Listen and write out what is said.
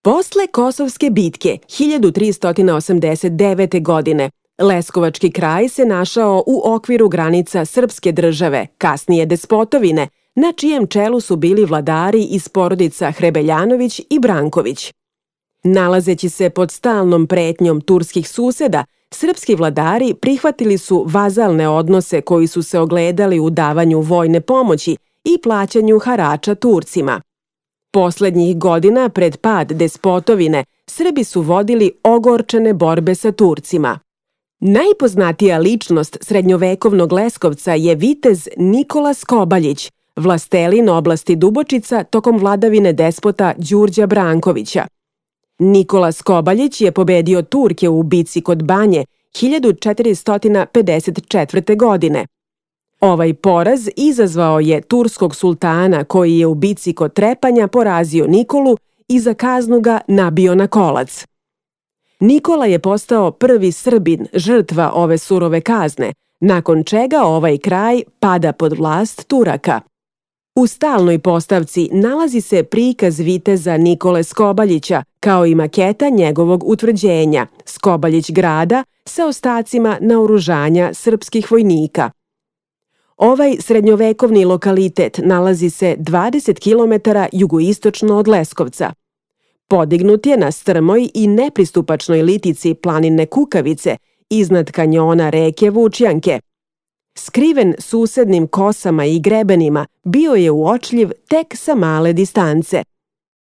Posle Kosovske bitke 1389. godine Leskovački kraj se našao u okviru granica srpske države, kasnije Despotovine, na čijem čelu su bili vladari iz porodica Hrebeljanović i Branković. Nalazeći se pod stalnom pretnjom turskih suseda, srpski vladari prihvatili su vazalne odnose koji su se ogledali u davanju vojne pomoći i plaćanju harača Turcima. Poslednjih godina pred pad Despotovine Srbi su vodili ogorčene borbe sa Turcima. Najpoznatija ličnost srednjovekovnog Leskovca je vitez Nikola Skobaljić, vlastelin oblasti Dubočica tokom vladavine despota Đurđa Brankovića. Nikola Skobaljić je pobedio Turke u bici kod Banje 1454. godine. Ovaj poraz izazvao je turskog sultana koji je u bici kod Trepanja porazio Nikolu i za kaznu ga nabio na kolac. Nikola je postao prvi Srbin žrtva ove surove kazne, nakon čega ovaj kraj pada pod vlast Turaka. U stalnoj postavci nalazi se prikaz viteza Nikole Skobaljića, kao i maketa njegovog utvrđenja, Skobaljić grada, sa ostacima naoružanja srpskih vojnika. Ovaj srednjovekovni lokalitet nalazi se 20 km jugoistočno od Leskovca. Podignut je na strmoj i nepristupačnoj litici planine Kukavice, iznad kanjona reke Vučjanke. Skriven susednim kosama i grebenima, bio je uočljiv tek sa male distance.